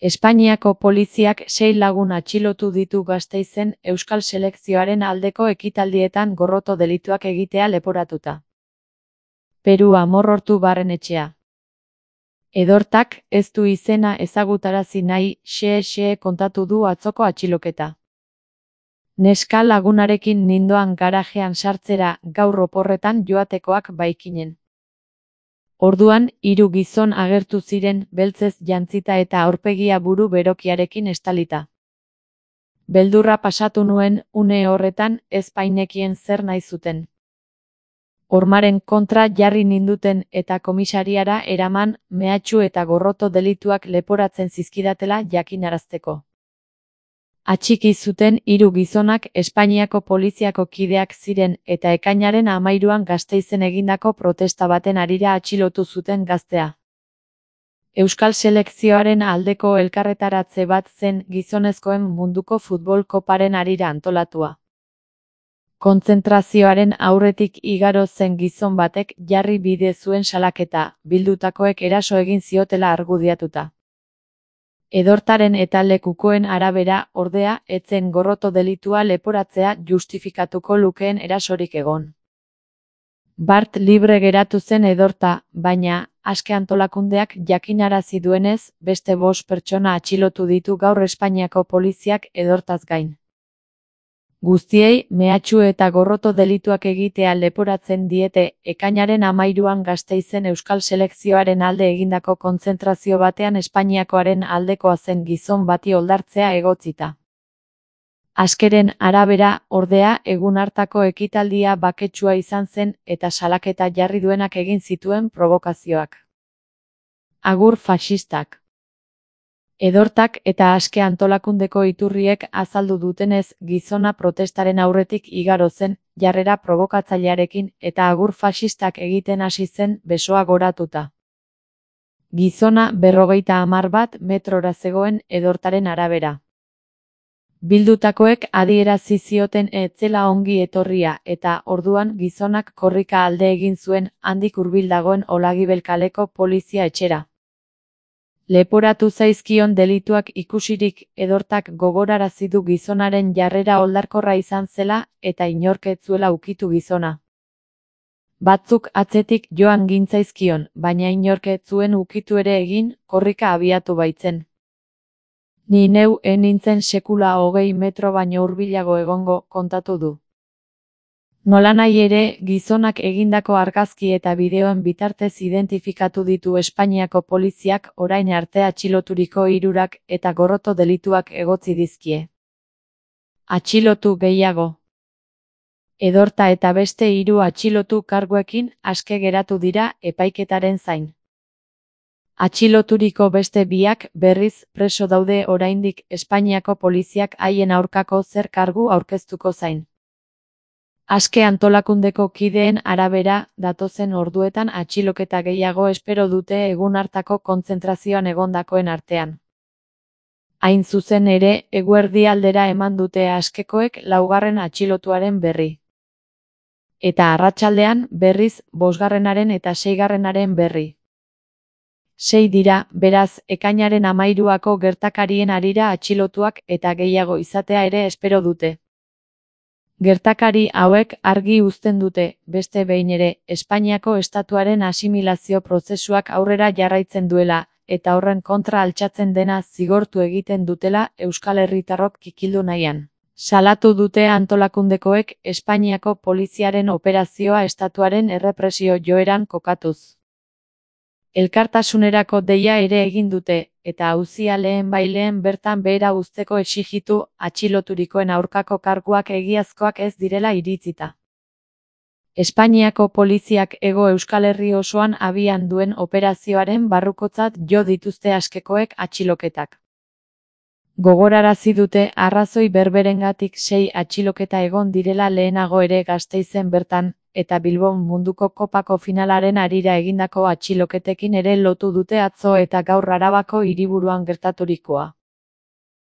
Espainiako poliziak 6 lagun atxilotu ditu Gasteizen euskal selekzioaren aldeko ekitaldietan gorroto delituak egitea leporatuta. Peru Amorortu Barrenetxea. Edortak ez du izena ezagutarazi nahi, xe kontatu du atzoko atxiloketa. Neska lagunarekin nindoan garajean sartzera gaur oporretan joatekoak baikinen. Orduan, 3 gizon agertu ziren beltzez jantzita eta aurpegia buru berokiarekin estalita. Beldurra pasatu nuen une horretan ez bainekien zer nahi zuten. Hormaren kontra jarri ninduten eta komisariara eraman mehatxu eta gorroto delituak leporatzen zizkidatela jakinarazteko. Atxiki zuten 3 gizonak Espainiako poliziako kideak ziren eta ekainaren 13an Gasteizen egindako protesta baten harira atxilotu zuten gaztea. Euskal selekzioaren aldeko elkarretaratze bat zen gizonezkoen munduko futbol koparen harira antolatua. Kontzentrazioaren aurretik igaro zen gizon batek jarri bide zuen salaketa, bildutakoek eraso egin ziotela argudiatuta. Edortaren eta lekukoen arabera, ordea, ez zen gorroto delitua leporatzea justifikatuko lukeen erasorik egon. Bart libre geratu zen Edorta, baina, aske antolakundeak jakinarazi duenez, beste 5 pertsona atxilotu ditu gaur Espainiako poliziak Edortaz gain. Guztiei, mehatxu eta gorroto delituak egitea leporatzen diete, ekainaren 13an Gasteizen euskal selekzioaren alde egindako kontzentrazio batean Espainiakoaren aldekoa zen gizon bati oldartzea egotzita. Askeren arabera, ordea, egun hartako ekitaldia baketsua izan zen eta salaketa jarri duenak egin zituen provokazioak. Agur faxistak. Edortak eta aske antolakundeko iturriek azaldu dutenez gizona protestaren aurretik igaro zen, jarrera probokatzailearekin eta agur faxistak egiten hasi zen besoa goratuta. Gizona 50 metrora zegoen Edortaren arabera. Bildutakoek adierazi zioten ez zela ongi etorria eta orduan gizonak korrika alde egin zuen handik hurbil dagoen Olagibel kaleko polizia etxera. Leporatu zaizkion delituak ikusirik Edortak gogorarazi du gizonaren jarrera oldarkorra izan zela eta inork ez zuela ukitu gizona. Batzuk atzetik joan gintzaizkion, baina inork ez zuen ukitu ere egin, korrika abiatu baitzen. Ni neu nintzen sekula 20 metro baino hurbilago egongo, kontatu du. Nolanahi ere, gizonak egindako argazki eta bideoen bitartez identifikatu ditu Espainiako poliziak orain arte atxiloturiko 3 eta gorroto delituak egotzi dizkie. Atxilotu gehiago. Edorta eta beste 3 atxilotu karguekin aske geratu dira epaiketaren zain. Atxiloturiko beste 2 berriz preso daude oraindik Espainiako poliziak haien aurkako zer kargu aurkeztuko zain. Aske antolakundeko kideen arabera, datozen orduetan atxiloketa gehiago espero dute egun hartako kontzentrazioan egondakoen artean. Hain zuzen ere, eguerdi aldera eman dute askekoek 4. atxilotuaren berri. Eta arratsaldean, berriz, 5. eta 6. berri. 6 dira, beraz, ekainaren 13ako gertakarien harira atxilotuak eta gehiago izatea ere espero dute. Gertakari hauek argi uzten dute, beste behin ere, Espainiako estatuaren asimilazio prozesuak aurrera jarraitzen duela, eta horren kontra altxatzen dena zigortu egiten dutela euskal herritarrok kikildu nahian. Salatu dute antolakundekoek Espainiako poliziaren operazioa estatuaren errepresio joeran kokatuz. Elkartasunerako deia ere egin dute, eta auzia lehenbailehen bertan behera uzteko exijitu atxiloturikoen aurkako karguak egiazkoak ez direla iritzita. Espainiako poliziak Hego Euskal Herri osoan abian duen operazioaren barrukotzat jo dituzte askekoek atxiloketak. Gogorarazi dute arrazoi berberengatik 6 atxiloketa egon direla lehenago ere Gasteizen bertan, eta Bilbon munduko kopako finalaren harira egindako atxiloketekin ere lotu dute atzo eta gaur Arabako hiriburuan gertaturikoa.